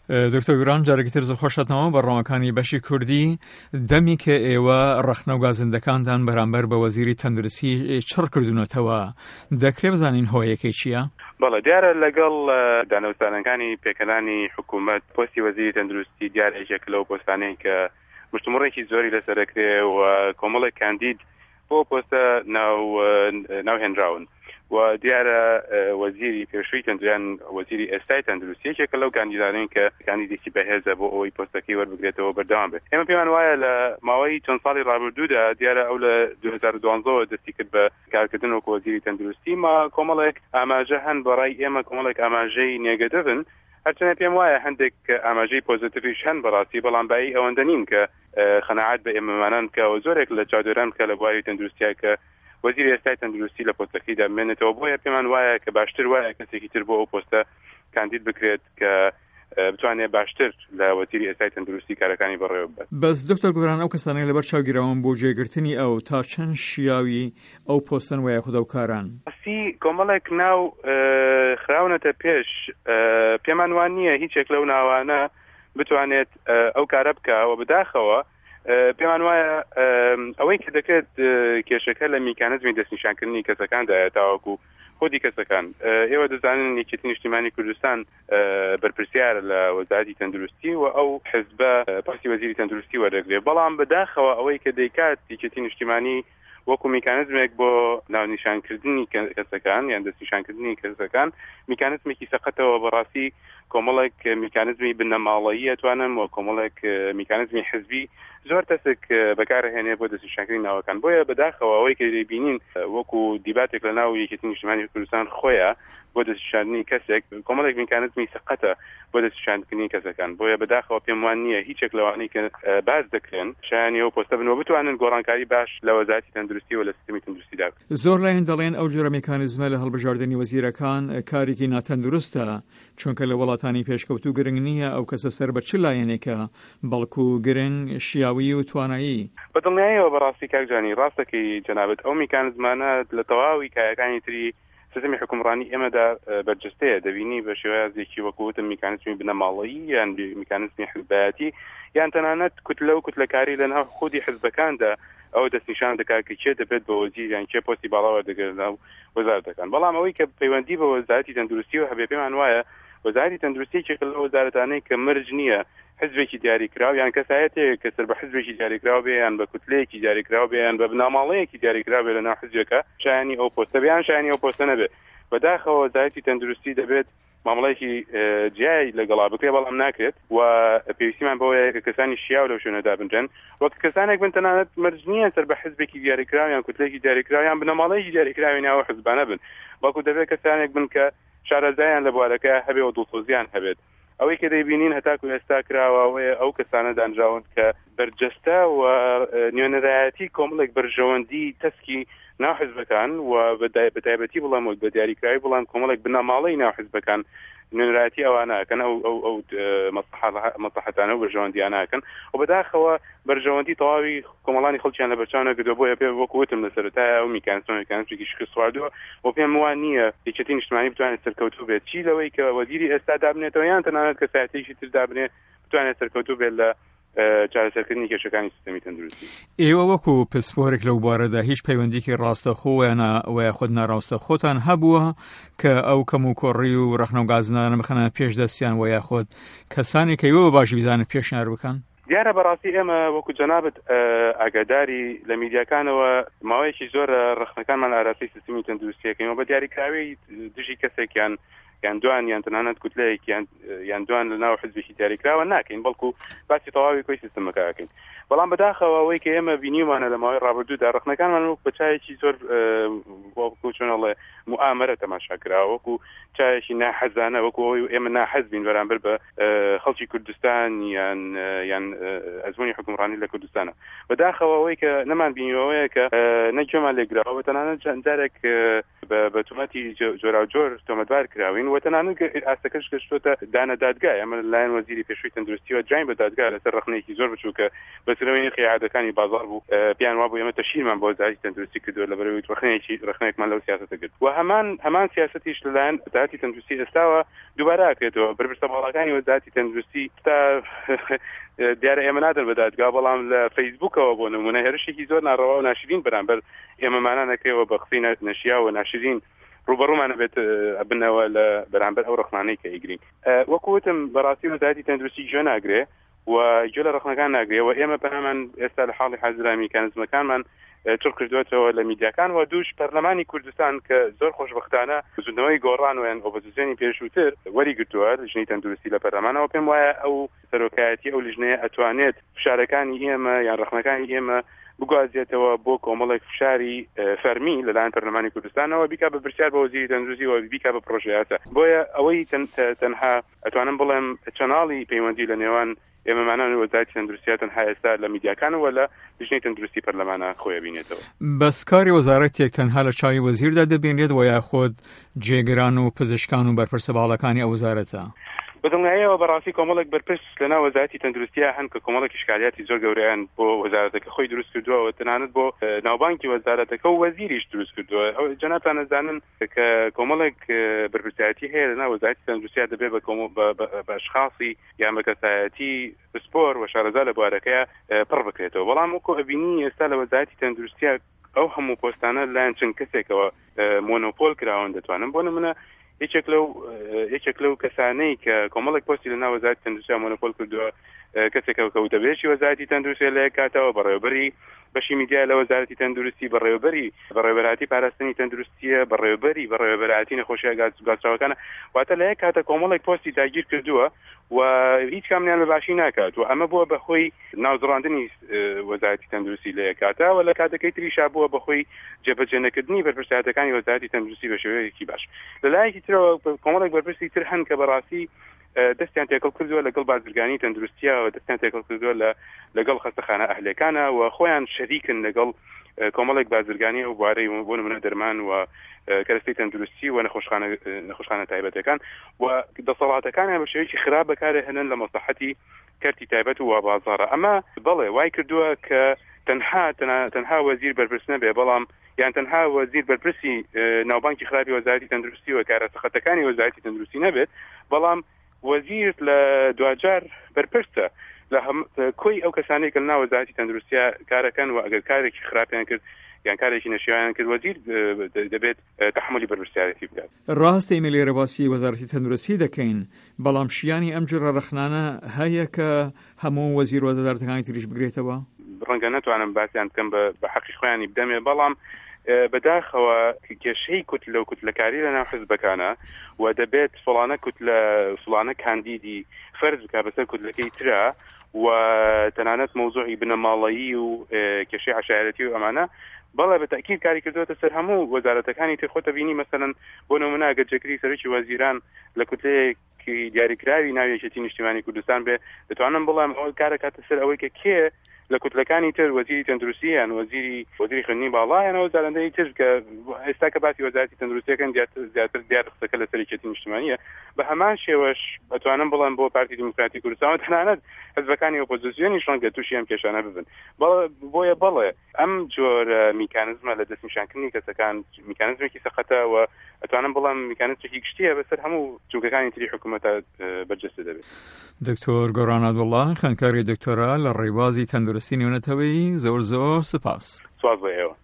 دکتۆر گوران جارێکی تر زۆر خۆشتنەوە بەڕۆمەکانی بەشی کوردی دەمی کە ئێوە ڕەخنە و گازندەکانتان بەرامبەر بە وەزیری تەندروستی چڕ کردوونەتەوە دەکرێ بزانین هۆیەکەی چییە؟ بەڵێ دیارە لەگەڵ دانوستانەکانی پێکهێنانی حکوومەت پۆستی وەزیری تەندروستی دیارە یەکێک لەو پۆستانەی کە مشتومڕێکی زۆری لەسەر دەکرێ و کۆمەڵێک کاندید بۆ پۆستە ناو ناوهێنراون و دیارە وەزیری پێشووی تەندرویان وەزیری ئێستای تەندروستی یەکێکە لەو کاندیدانەی کە کاندیدێکی بەهێزە بۆ ئەوەی پۆستەکەی وەربگرێتەوە بەردەوام بێت. ئێمە پێمان وایە لە ماوەی چەند ساڵی ڕابردوودا دیارە ئەو لە 2012ەوە دەستی کرد بە کارکردن وەکو وەزیری تەندروستی ما کۆمەڵێک ئاماژە هەن بەڕای ئێمە کۆمەڵێک ئاماژەی نێگەتیڤن هەرچەنە پێم وایە هەندێک ئاماژەی پۆزیتیڤیش هەن بەڕاستی بەڵام بایی ئەوەندە نین کە قەناعەت بە ئێمەمانان بکە و زۆرێک لە چاودێران بکە لە بواری تەندروستیا کە وەزیری ئێستای تەندروستی لە پۆستەکەیدا بمێنێتەوە بۆیە پێمان وایە کە باشتر وایە کەسێکی تر بۆ ئەو پۆستە کاندید بکرێت کە بتوانێت باشتر لە وەزیری ئێستای تەندروستی کارەکانی بەڕێوە ببات. بەس دکتۆر گۆران ئەو کەسانەی لەبەر چاو گیراون بۆ جێگرتنی ئەو تا چەند شیاوی ئەو پۆستەن وە یاخود ئەو کاران؟ ڕاستی کۆمەڵێک ناو خراونەتە پێش پێمان وان نییە هیچێک لەو ناوانە بتوانێت ئەو کارە بکە و بەداخەوە پێمان وایە ئەوەی کە دەکرێت کێشەکە لە میکانزمی دەستنیشانکردنی کەسەکاندایە تاوەکو خودی کەسەکان ئێوە دەزانن یەکێتی نیشتیمانی کوردستان بەرپرسیارە لە وەزارەتی تەندروستی و ئەو حزبە پۆستی وەزیری تەندروستی وەردەگرێت بەڵام بەداخەوە ئەوەی کە دەیکات یەکێتی نیشتیمانی وەکو میکانزمێک بۆ ناونیشانکردنی کەسەکان یان دەستنیشانکردنی کەسەکان میکانزمێکی سەقەتەوە بەڕاستی کۆمەڵێک میکانزمی بنەماڵەیی ئەتوانم و کۆمەڵێک میکانزمی حزبی زۆر تەسک بەکارهێنێ بۆ دەستنیشانکردنی ناوەکان بۆیە بەداخەوە ئەوەی کە دەیبینین وەکو دیباتێک لە ناو یەکێتی نیشتمانی کوردستان خۆیە بۆ دەستنیشاندنی کەسێک کۆمەڵێک میکانزمی سەقەتە بۆ دەستنیشانکردنی کەسەکان بۆیە بەداخەوە پێم وان نییە هیچێک لەوانەی کە باس دەکرێن شایانی ئەو پۆستە بن و بتوانن گۆڕانکاری باش لە وەزارەتی تەندروستی و لە سیستمی تەندروستیدا بکەن. زۆر لایەن دەڵێن ئەو جۆرە میکانیزمە لە هەڵبژاردنی وەزیرەکان کارێکی ناتەندروستە، چونکە لە وڵاتانی پێشکەوتوو گرنگ نییە ئەو کەسە سەر بە چ لایەنێکە، بەڵکو گرنگ شیاویی و توانایی. بە دڵنیاییەوە بەڕاستی کاک جانی ڕاست دەکەی جەنابت ئەو میکانزمانە لە تەواوی کایەکانی تری سیستمی حوکمڕانی ئێمەدا بەرجەستەیە، دەبینی بە شێوازێکی وەکو وتم میکانیزمی بنەماڵەیی یان میکانیزمی حزبایەتی یان تەنانەت کوتلە و کوتلەکاری لەناو خودی حزبەکاندا ئەوە دەستنیشان دەکات کە کێ دەبێت بە وەزیر یان کێ پۆستی باڵا وەردەگرێت لەناو وەزارەتەکان. بەڵام ئەوەی کە پەیوەندی بە وەزارەتی تەندروستیەوە هەبێ پێمان وایە وەزارەتی تەندروستی یەکێکە لەو وەزارەتانەی کە مەرج نییە حزبێکی دیاریکراو یان کەسایەتێک کە سەر بە حزبێکی دیاریکراو بێ یان بە کوتلەیەکی دیاریکراو بێ یان بە بنەماڵەیەکی دیاریکراو بێ لەناو حزبێکە شایانی ئەو پۆستە بێ یان شایانی ئەو پۆستە نەبێ. بەداخەوە وەزارەتی تەندروستی دەبێت مامەڵەیەکی جیای لەگەڵا بکرێ بەڵام ناکرێت و پێویستیمان بەوەیە کە کەسانی شیاو لەو شوێنە دابنرێن وەک کەسانێک بن تەنانەت مەرج نییە سەر بە حزبێکی دیاریکراو یان کوتلێکی دیاریکراو یان بنەماڵەیەکی دیاریکراوی ناو حزبانە بن بەڵکو دەبێت کەسانێک بن کە شارەزایان لە بوارەکە هەبێ و دڵسۆزیان هەبێت ئەوەی کە دەیبینین هەتاکو ئێستا کراوە ئەوەیە ئەو کەسانە دانراون کە بەرجەستە و نوێنەرایەتی کۆمەڵێک بەرژەوەندی تەسکی ناو حزبەکان و بە تایبەتی بڵێم و بە دیاریکراوی بڵێم کۆمەڵێک بنەماڵەی ناو حزبەکان نوێنەرایەتی ئەوانە ئەکەن ئەو ئەو ئەو مەسڵەحەتانە و بەرژەوەندیانە ئەکەن و بەداخەوە بەرژەوەندی تەواوی کۆمەڵانی خەڵکیان لەبەرچاو نەگرتووە بۆیە پێ وەکو وتم لە سەرەتایە ئەو میکانیزمە میکانیزمێکی شکست خواردووە و پێم وا نییە یەکێتی نیشتمانی بتوانێت سەرکەوتوو بێت چی لەوەی کە وەزیری ئێستا دابنێتەوە یان تەنانەت کەسایەتیەکی تر دابنێ بتوانێت سەرکەوتوو بێت لە چارەسەرکردنی کێشەکانی سیستەمی تەندروستی. ئێوە وەکو پسپۆرێک لەو بوارەدا هیچ پەیوەندیکی ڕاستەخۆ و یاخود ناڕاستەخۆتان هەبووە کە ئەو کەم و کۆڕی و ڕەخنە و گازنانە بخەنە پێش دەستیان و یاخود کەسانی کە ئێوە بە باشی بزانن پێشنیار بکەن؟ دیارە بەڕاستی ئێمە وەکو جەنابت ئاگاداری لە میدیاکانەوە ماوەیەکی زۆرە ڕەخنەکانمان ئاراستەی سیستمی تەندروستیەکەین و بە دیاریکراوی دژی کەسێکیان یان دوان یان تەنانەت کوتلەیەک یان یان دوان لە ناو حزبێکی دیاریکراوە ناکەین بەڵکو باسی تەواوی کۆی سیستمەکە ئەکەین بەڵام بەداخەوە ئەوەی کە ئێمە بینیومانە لە ماوەی ڕابردوودا ڕەخنەکانمان وەک بە چایەکی زۆر وەکو چۆن ئەڵێ موئامەرە تەماشا کراوە وەکو چایەکی ناحەزانە وەکو ئەوەی ئێمە ناحەز بین بەرامبەر بە خەڵکی کوردستان یان یان ئەزموونی حکومڕانی لە کوردستانە بەداخەوە ئەوەی کە نەمان بینیوەیە کە نەگوێمان لێگراوە تەنانەت چەند جارێک. بە تۆمەتی جۆراوجۆر تۆمەتبار کراوین و تەنانەت ئاستەکەش گەشتۆتە دانە دادگا. ئێمە لەلایەن وەزیری پێشووی تەندروستیەوە دراین بە دادگا لەسەر ڕەخنەیەکی زۆر بچووک کە بەستنەوەی نرخی عادەکانی بازاڕ بوو. پێیان وابوو ئێمە تەشهیرمان بۆ وەزارەتی تەندروستی کردووە لەبەرئەوەی ڕەخنەیەکی ڕەخنەیەکمان لەو سیاسەتە گرت و هەمان هەمان سیاسەتیش لەلایەن وەزارەتی تەندروستی ئێستاوە دووبارە ئەکرێتەوە. بەرپرسە باڵاکانی وەزارەتی تەندروستی تا دیارە ئێمە نادەن بە دادگا، بەڵام لە فەیسبووکەوە بۆ نموونە هێرشێکی زۆر ناڕەوا و ناشرین بەرامبەر ئێمەمانان ئەکرێەوە بە قسەی نەشیاو و ناشرین ڕووبەڕوومان ئەبێت ئەبنەوە لە بەرامبەر ئەو ڕەخنانەی کە ئەیگرین. وەکو وتم بەڕاستی وەزارەتی تەندروستی گوێ ناگرێ و گوێ لە ڕەخنەکان ناگرێ و ئێمە پەنامان ئێستا لە حاڵی حازرا میکانزمەکانمان چڕ کردوێتەوە لە میدیاکان و دووش پەرلەمانی کوردستان کە زۆر خۆشببختانە بزوتنەوەی گۆڕان و یان ئۆپۆزیسیۆنی پێشووتر وەری گرتووە لیژنەی تەندروستی لە پەرلەمانەوە. پێم وایە ئەو سەرۆکایەتی ئەو لیژنەیە ئەتوانێت فشارەکانی ئێمە یان ڕەخنەکانی ئێمە بگوازێتەوە بۆ کۆمەڵێک فشاری فەرمی لەلایەن پەرلەمانی کوردستانەوە، بیکا بە پرسیار بە وەزیری تەندروستی و بیکا بە پرۆژەیاسا. بۆیە ئەوەی تەنها ئەتوانم بڵێم چەناڵی پەیوەندی لە نێوان ئێمەمانان و وەزارەتی تەندروستیە تەنها ئێستا لە میدیاکان و لە لیژنەی تەندروستی پەرلەمانە خۆی ئەبینێتەوە. بەس کاری وەزارەتێک تەنها لە چاوی وەزیردا دەبینرێت و یاخود جێگران و پزیشکان و بەرپرسە باڵاکانی ئەو وەزارەتە؟ بە دڵنیاییەوە بەڕاستی کۆمەڵێک بەرپرس لەناو وەزارەتی تەندروستیا هەن کە کۆمەڵێک ئیشکالیاتی زۆر گەورەیان بۆ وەزارەتەکە خۆی دروست کردووە و تەنانەت بۆ ناوبانگی وەزارەتەکە و وەزیریش دروست کردووە. جەنابتان ئەزانن کە کۆمەڵێک بەرپرسیارەتی هەیە لەناو وەزارەتی تەندروستیا دەبێت بە بە ئەشخاصی یان بە کەسایەتی پسپۆر و شارەزا لە بوارەکەیا پڕ بکرێتەوە. بەڵام وەکو ئەبینی ئێستا لە وەزارەتی تەندروستیا ئەو هەموو پۆستانە لایەن چەند کەسێکەوە مۆنۆپۆل کراون. دەتوانم بۆ نمونە یەکێک لەو یەکێک لەو کەسانەی کە کۆمەڵێک پۆستی لە ناو وەزارەتی تەندروستیا مۆنۆپۆل کردووە کەسێکە کە وتەبێژی وەزارەتی تەندروستیە لە یەک کاتەوە بەڕێوەبەری بەشی میدیا لە وەزارەتی تەندروستی، بەڕێوەبەری بەڕێوەبەرایەتی پاراستنی تەندروستیە، بەڕێوەبەری بەڕێوەبەرایەتی نەخۆشیە گواستراوەکانە. واتە لە یەک کاتە کۆمەڵێک پۆستی داگیر کردووە و هیچ کامیان بە باشی ناکات و ئەمە بووە بە هۆی ناوزڕاندنی وەزارەتی تەندروستی لە یەک کاتە و لە کاتەکەی تریشا بووە بە هۆی جێبەجێ نەکردنی بەرپرسیارەتەکانی وەزارەتی تەندروستی بە شێوەیەکی باش. لە لایەکی ترەوە کۆمەڵێک بەرپرسی تر هەن کە بەڕاستی دەستیان تێکەڵ کردووە لەگەڵ بازرگانی تەندروستیە و دەستیان تێکەڵ کردووە لە لەگەڵ خەستەخانە ئەهلەکانە و خۆیان شەریکن لەگەڵ کۆمەڵێک بازرگانی ئەو بوارەی بۆ نمونە دەرمان و کەرەستەی تەندروستی و نەخۆشخانە نەخۆشخانە تایبەتەکان و دەسەڵاتەکانیان بە شێوەیەکی خراپ بەکارهێنن لە مەسلحەتی کەرتی تایبەت و بازاڕە. ئەمە بەڵێ وای کردووە کە تەنها تەنها وەزیر بەرپرس نەبێ، بەڵام یان تەنها وەزیر بەرپرسی ناوبانگی خراپی وەزارەتی تەندروستی و کارە سەقەتەکانی وەزارەتی تەندروستی نەبێت، بەڵام وەزیر لە دواجار بەرپرسە لە کۆی ئەو کەسانەی کە لەناو وەزارەتی تەندروستیا کارەکەن و ئەگەر کارێکی خراپیان کرد یان کارێکی نەشیاویان کرد وەزیر دەبێت تەحەمولی بەرپرسیارێتی بکات. ڕاستە ئێمە لێرە باسی وەزارەتی تەندروستی دەکەین، بەڵام شیانی ئەم جۆرە ڕەخنانە هەیە کە هەموو وەزیر و وەزارەتەکانی تریش بگرێتەوە؟ ڕەنگە نەتوانم باسیان بکەم بە حەقی خۆیانی بدەمێ، بەڵام بەداخەوە کێشەی کوتلە و کوتلەکاری لەناو حزبەکانە و دەبێت فڵانە کوتلە فڵانە کاندیدی فەرز بکا بەسەر کوتلەکەی ترا و تەنانەت مەوزوعی بنەماڵەیی و کێشەی عەشایەتی و ئەمانە بەڵێ بە تەئکید کاری کردووەتە سەر هەموو وەزارەتەکانی تر. خۆتە بینی مەسەلەن بۆ نمونە ئەگەر جێگری سەرۆکی وەزیران لە کوتلەیەکی دیاریکراوی ناو یەکێتی نیشتیمانی کوردستان بێ، دەتوانم بڵێم ئەوە کارە کاتە سەر ئەوەی کە کێ لە کوتلەکانی تر وەزیری تەندروستی یان وەزیری وەزیری خوێندنی باڵا یان وەزارەندەی تر کە ئێستا کە باسی وەزارەتی تەندروستیەکەن زیاتر زیاتر دیار قسەکە لەسەر یەکێتی نیشتمانیە. بە هەمان شێوەش ئەتوانم بڵێم بۆ پارتی دیموکراتی کوردستان و تەنانەت حزبەکانی ئۆپۆزیسیۆنیش ڕەنگە تووشی ئەم کێشانە ببن. بۆیە بەڵێ ئەم جۆرە میکانزمە لە دەستنیشانکردنی کەسەکان میکانزمێکی سەقەتە و ئەتوانم بڵێم میکانزمێکی گشتیە بەسەر هەموو جومگەکانی تری حکوومەتە بەرجەستە دەبێت. دکتۆر گۆران عەبدوڵڵا، خوێندکاری دکتۆرا لە ڕێبازی تەندروستی نێونەتەوەیی، زۆر زۆر سپاس. سپاس بۆ ئێوە.